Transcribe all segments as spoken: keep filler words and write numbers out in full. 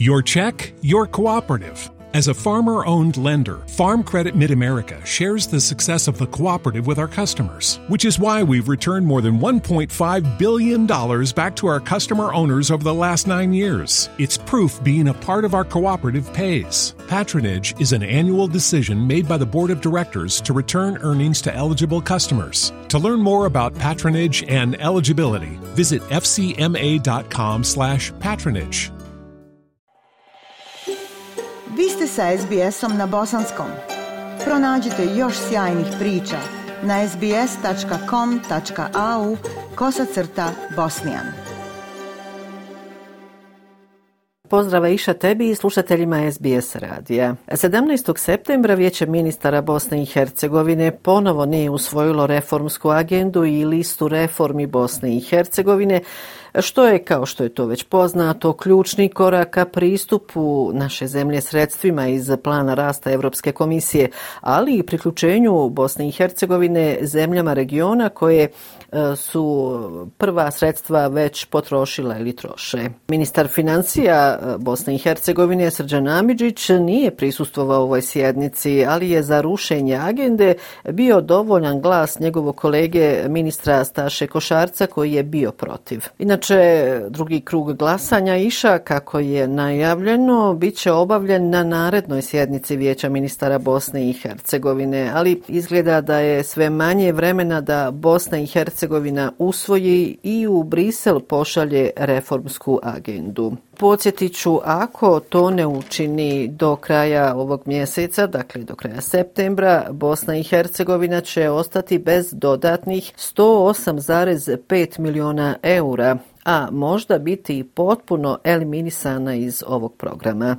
Your check, your cooperative. As a farmer-owned lender, Farm Credit Mid-America shares the success of the cooperative with our customers, which is why we've returned more than one point five billion dollars back to our customer owners over the last nine years. It's proof being a part of our cooperative pays. Patronage is an annual decision made by the Board of Directors to return earnings to eligible customers. To learn more about patronage and eligibility, visit f c m a dot com slash patronage. Vi ste sa es be esom na bosanskom. Pronađite još sjajnih priča na es be es tačka com tačka a u kosacrta bosnijan. Pozdrav Iša tebi i slušateljima es be es radija. sedamnaestog septembra Vijeće ministara Bosne i Hercegovine ponovo nije usvojilo reformsku agendu i listu reformi Bosne i Hercegovine, što je, kao što je to već poznato, ključni korak ka pristupu naše zemlje sredstvima iz plana rasta Europske komisije, ali i priključenju Bosne i Hercegovine zemljama regiona koje su prva sredstva već potrošila ili troše. Ministar financija Bosne i Hercegovine Srđan Amidžić nije prisustvovao ovoj sjednici, ali je za rušenje agende bio dovoljan glas njegovog kolege ministra Staše Košarca koji je bio protiv. Inače, drugi krug glasanja Iša, kako je najavljeno, bit će obavljen na narednoj sjednici Vijeća ministara Bosne i Hercegovine, ali izgleda da je sve manje vremena da Bosna i Hercegovina usvoji i u Brisel pošalje reformsku agendu. Podsjetit ću, ako to ne učini do kraja ovog mjeseca, dakle do kraja septembra, Bosna i Hercegovina će ostati bez dodatnih sto osam zarez pet miliona eura, a možda biti potpuno eliminisana iz ovog programa.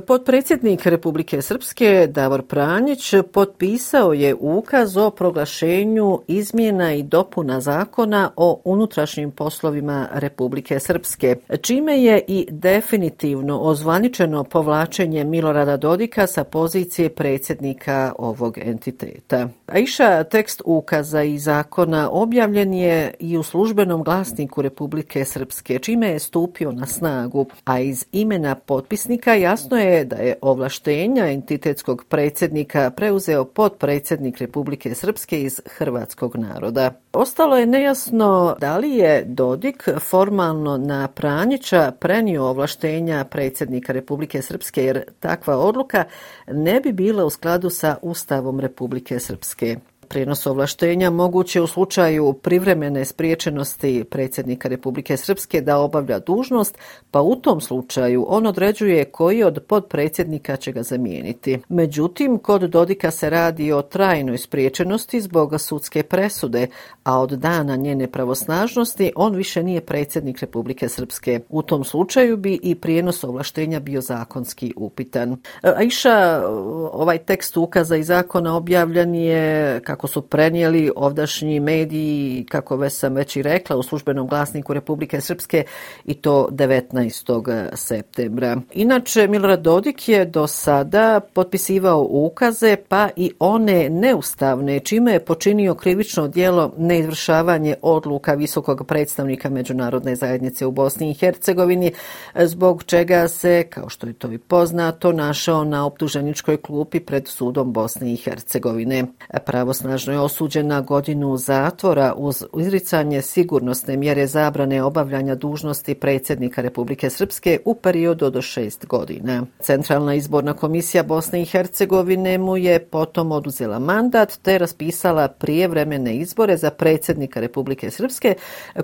Potpredsjednik Republike Srpske Davor Pranjić potpisao je ukaz o proglašenju izmjena i dopuna zakona o unutrašnjim poslovima Republike Srpske, čime je i definitivno ozvaničeno povlačenje Milorada Dodika sa pozicije predsjednika ovog entiteta. Aisha, tekst ukaza i zakona objavljen je i u službenom glasniku Republike Srpske, čime je stupio na snagu, a iz imena potpisnika jasno je da je ovlaštenja entitetskog predsjednika preuzeo potpredsjednik Republike Srpske iz hrvatskog naroda. Ostalo je nejasno da li je Dodik formalno na Pranjića prenio ovlaštenja predsjednika Republike Srpske, jer takva odluka ne bi bila u skladu sa Ustavom Republike Srpske. Prijenos ovlaštenja moguće u slučaju privremene spriječenosti predsjednika Republike Srpske da obavlja dužnost, pa u tom slučaju on određuje koji od potpredsjednika će ga zamijeniti. Međutim, kod Dodika se radi o trajnoj spriječenosti zbog sudske presude, a od dana njene pravosnažnosti on više nije predsjednik Republike Srpske. U tom slučaju bi i prijenos ovlaštenja bio zakonski upitan. Aisha, ovaj tekst ukaza i zakona objavljen je, kako su prenijeli ovdašnji mediji, kako već sam već i rekla, u službenom glasniku Republike Srpske, i to devetnaestog septembra. Inače, Milorad Dodik je do sada potpisivao ukaze, pa i one neustavne, čime je počinio krivično djelo neizvršavanje odluka visokog predstavnika međunarodne zajednice u Bosni i Hercegovini, zbog čega se, kao što je to i poznato, našao na optuženičkoj klupi pred sudom Bosne i Hercegovine. Pravosnažno je osuđen na godinu zatvora uz izricanje sigurnosne mjere zabrane obavljanja dužnosti predsjednika Republike Srpske u periodu od šest godina. Centralna izborna komisija Bosne i Hercegovine mu je potom oduzela mandat te raspisala prijevremene izbore za predsjednika Republike Srpske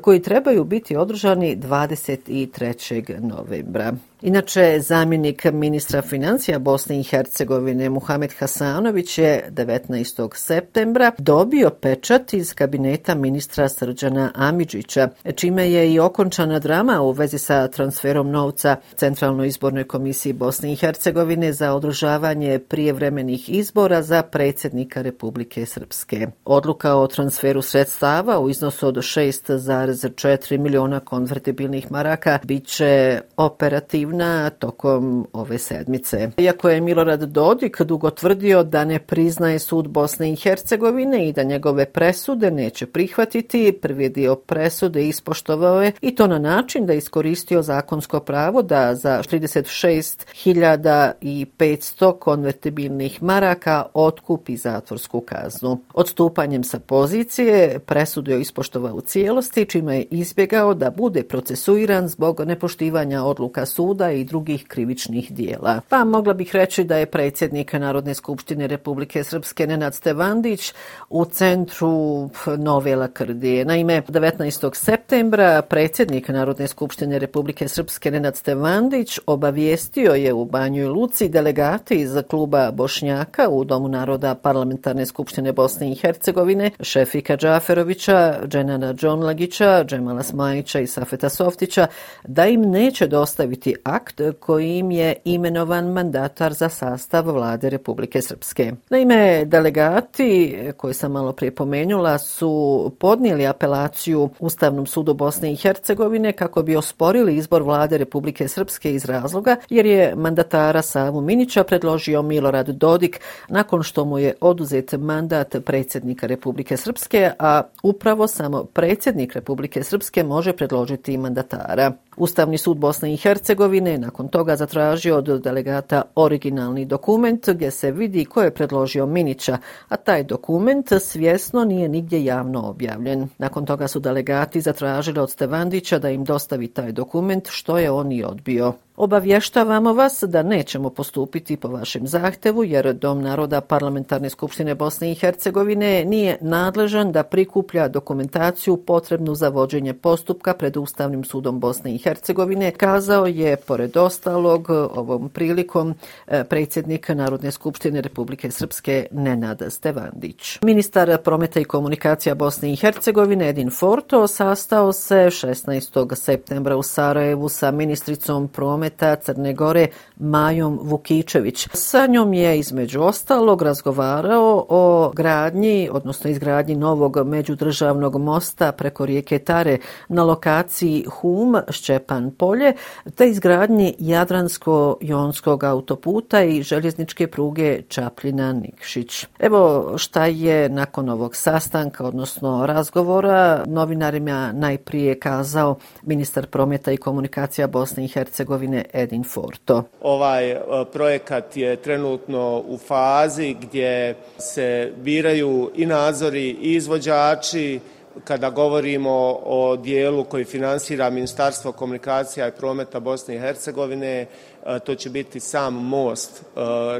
koji trebaju biti održani dvadeset trećeg novembra. Inače, zamjenik ministra financija Bosne i Hercegovine Muhamed Hasanović je devetnaestog septembra dobio pečat iz kabineta ministra Srđana Amidžića, čime je i okončana drama u vezi sa transferom novca Centralnoj izbornoj komisiji Bosne i Hercegovine za održavanje prijevremenih izbora za predsjednika Republike Srpske. Odluka o transferu sredstava u iznosu od šest zarez četiri miliona konvertibilnih maraka bit će operativna aktivna tokom ove sedmice. Iako je Milorad Dodik dugo tvrdio da ne priznaje sud Bosne i Hercegovine i da njegove presude neće prihvatiti, prvi dio presude ispoštovao je i to na način da je iskoristio zakonsko pravo da za trideset šest hiljada petsto konvertibilnih maraka otkupi zatvorsku kaznu. Odstupanjem sa pozicije presudu je ispoštovao u cijelosti, čime je izbjegao da bude procesuiran zbog nepoštivanja odluka suda i drugih krivičnih dijela. Pa mogla bih reći da je predsjednik Narodne skupštine Republike Srpske Nenad Stevandić u centru nove lakrdije. Naime, devetnaestog septembra predsjednik Narodne skupštine Republike Srpske Nenad Stevandić obavijestio je u Banjoj Luci delegati iz kluba Bošnjaka u Domu naroda Parlamentarne skupštine Bosne i Hercegovine, Šefika Džaferovića, Dženana Džonlagića, Džemala Smajića i Safeta Softića, da im neće dostaviti akt kojim je imenovan mandatar za sastav vlade Republike Srpske. Naime, delegati koje sam malo prije pomenula su podnijeli apelaciju Ustavnom sudu Bosne i Hercegovine kako bi osporili izbor vlade Republike Srpske iz razloga jer je mandatara Savu Minića predložio Milorad Dodik nakon što mu je oduzet mandat predsjednika Republike Srpske, a upravo samo predsjednik Republike Srpske može predložiti mandatara. Ustavni sud Bosne i Hercegovine nakon toga zatražio od delegata originalni dokument gdje se vidi ko je predložio Minića, a taj dokument svjesno nije nigdje javno objavljen. Nakon toga su delegati zatražili od Stevandića da im dostavi taj dokument, što je on i odbio. Obavještavamo vas da nećemo postupiti po vašem zahtjevu jer Dom naroda Parlamentarne skupštine Bosne i Hercegovine nije nadležan da prikuplja dokumentaciju potrebnu za vođenje postupka pred Ustavnim sudom Bosne i Hercegovine, kazao je pored ostalog ovom prilikom predsjednik Narodne skupštine Republike Srpske Nenad Stevandić. Ministar prometa i komunikacija Bosne i Hercegovine Edin Forto sastao se šesnaestog septembra u Sarajevu sa ministricom prometa Crne Gore Majom Vukičević. Sa njom je između ostalog razgovarao o gradnji, odnosno izgradnji novog međudržavnog mosta preko rijeke Tare na lokaciji Hum Šćepan Polje, te izgradnji Jadransko-jonskog autoputa i željezničke pruge Čapljina Nikšić. Evo šta je nakon ovog sastanka, odnosno razgovora, novinarima najprije kazao ministar prometa i komunikacija Bosne i Hercegovine Edin Forto. Ovaj projekat je trenutno u fazi gdje se biraju i nadzori i izvođači. Kada govorimo o dijelu koji finansira Ministarstvo komunikacija i prometa Bosne i Hercegovine, to će biti sam most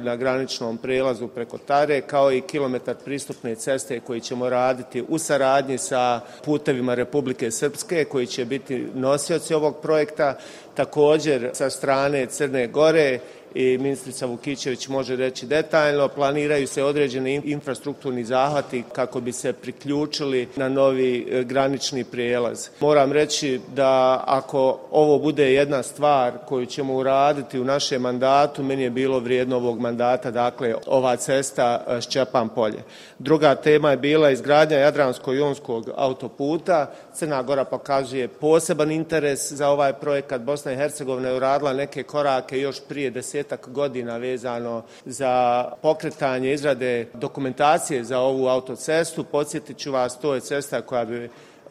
na graničnom prelazu preko Tare, kao i kilometar pristupne ceste koji ćemo raditi u saradnji sa putevima Republike Srpske, koji će biti nosioci ovog projekta. Također sa strane Crne Gore, i ministrica Vukičević može reći detaljno, planiraju se određeni infrastrukturni zahvati kako bi se priključili na novi granični prijelaz. Moram reći da ako ovo bude jedna stvar koju ćemo uraditi u našem mandatu, meni je bilo vrijedno ovog mandata, dakle ova cesta Šćepan Polje. Druga tema je bila izgradnja Jadransko-jonskog autoputa. Crna Gora pokazuje poseban interes za ovaj projekat. Bosna i Hercegovina je uradila neke korake još prije desetak godina vezano za pokretanje izrade dokumentacije za ovu autocestu. Podsjetit ću vas, to je cesta koja bi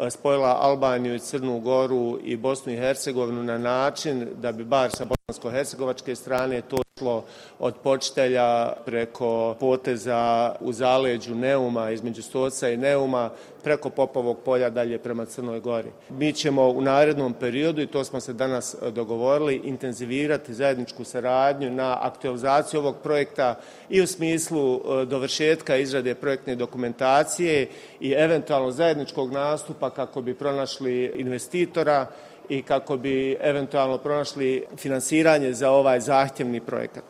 spojila Albaniju i Crnu Goru i Bosnu i Hercegovinu na način da bi bar sa bosansko-hercegovačke strane to išlo od Počitelja preko poteza u zaleđu Neuma, između Stoca i Neuma, preko Popovog polja dalje prema Crnoj Gori. Mi ćemo u narednom periodu, i to smo se danas dogovorili, intenzivirati zajedničku saradnju na aktualizaciju ovog projekta i u smislu dovršetka izrade projektne dokumentacije i eventualno zajedničkog nastupa kako bi pronašli investitora i kako bi eventualno pronašli finansiranje za ovaj zahtjevni projekat.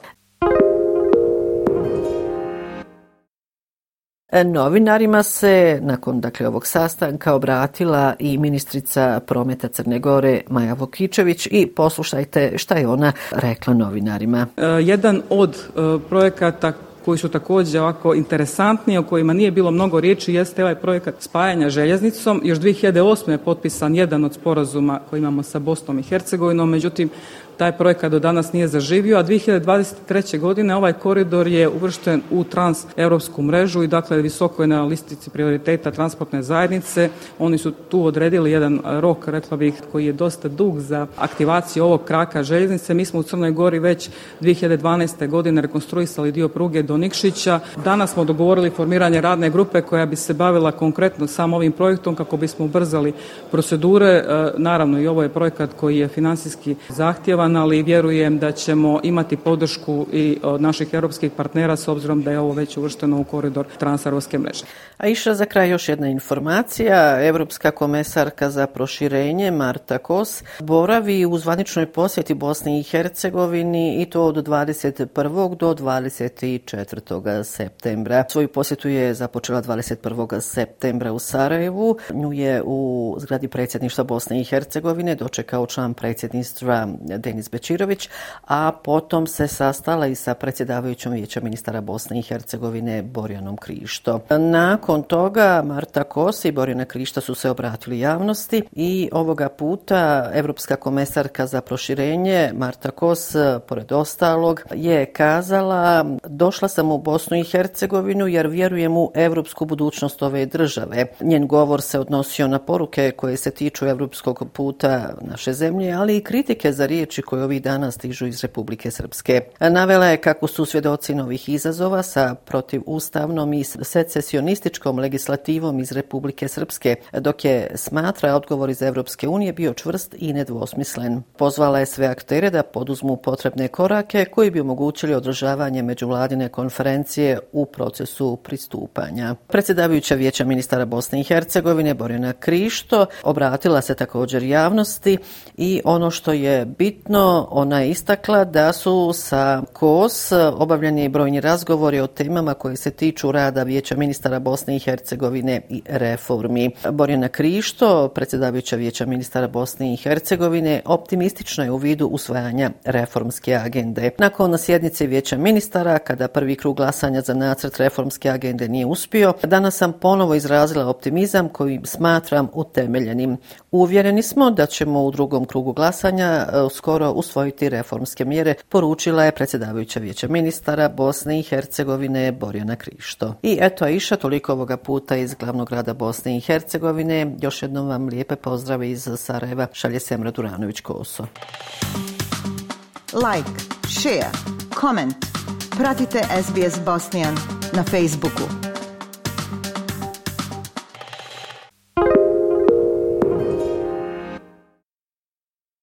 Novinarima se nakon dakle, ovog sastanka obratila i ministrica prometa Crne Gore Maja Vukičević i poslušajte šta je ona rekla novinarima. Jedan od projekata koji su također ovako interesantni, o kojima nije bilo mnogo riječi, jeste ovaj projekat spajanja željeznicom. Još dvije hiljade osme je potpisan jedan od sporazuma koji imamo sa Bosnom i Hercegovinom, međutim taj projekat do danas nije zaživio, a dvije hiljade dvadeset treće. godine ovaj koridor je uvršten u transeuropsku mrežu i dakle visoko je na listici prioriteta transportne zajednice. Oni su tu odredili jedan rok, rekla bih, koji je dosta dug za aktivaciju ovog kraka željeznice. Mi smo u Crnoj Gori već dvije hiljade dvanaeste. godine rekonstruisali dio pruge do Nikšića. Danas smo dogovorili formiranje radne grupe koja bi se bavila konkretno samo ovim projektom kako bismo ubrzali procedure. Naravno i ovo je projekat koji je financijski zahtjevan, ali vjerujem da ćemo imati podršku i od naših europskih partnera s obzirom da je ovo već uvršteno u koridor transeuropske mreže. A iša za kraj još jedna informacija. Europska komesarka za proširenje Marta Kos boravi u zvaničnoj posjeti Bosni i Hercegovini i to od dvadeset prvog do dvadeset četvrtog septembra. Svoju posjetu je započela dvadeset prvog septembra u Sarajevu. Nju je u zgradi predsjedništva Bosne i Hercegovine dočekao član predsjedništva Denis Bečirović, a potom se sastala i sa predsjedavajućom Vijeća ministara Bosne i Hercegovine Borjanom Krišto. Nakon toga Marta Kos i Borjana Krišta su se obratili javnosti i ovoga puta Europska komesarka za proširenje Marta Kos, pored ostalog, je kazala: došla sam u Bosnu i Hercegovinu jer vjerujem u europsku budućnost ove države. Njen govor se odnosio na poruke koje se tiču europskog puta naše zemlje, ali i kritike za riječi koje ovih dana stižu iz Republike Srpske. Navela je kako su svjedoci novih izazova sa protivustavnom i secesionističkom legislativom iz Republike Srpske, dok je smatra odgovor iz Europske unije bio čvrst i nedvosmislen. Pozvala je sve aktere da poduzmu potrebne korake koji bi omogućili održavanje međuvladine konferencije u procesu pristupanja. Predsjedavajuća Vijeća ministara Bosne i Hercegovine Borjana Krišto obratila se također javnosti i ono što je bitno, ona je istakla da su sa Kos obavljeni brojni razgovori o temama koje se tiču rada Vijeća ministara Bosne i Hercegovine i reformi. Borjana Krišto, predsjedavajuća Vijeća ministara Bosne i Hercegovine, optimistična je u vidu usvajanja reformske agende. Nakon sjednice Vijeća ministara, kada prvi krug glasanja za nacrt reformske agende nije uspio, danas sam ponovo izrazila optimizam koji smatram utemeljenim. Uvjereni smo da ćemo u drugom krugu glasanja skoro usvojiti reformske mjere, poručila je predsjedavajuća Vijeća ministara Bosne i Hercegovine Borjana Krišto. I eto, Aisha, toliko ovoga puta iz glavnog grada Bosne i Hercegovine. Još jednom vam lijepe pozdrave iz Sarajeva. Šalje Semra Duranović-Koso. Like, share, comment. Pratite S B S Bosnian na Facebooku.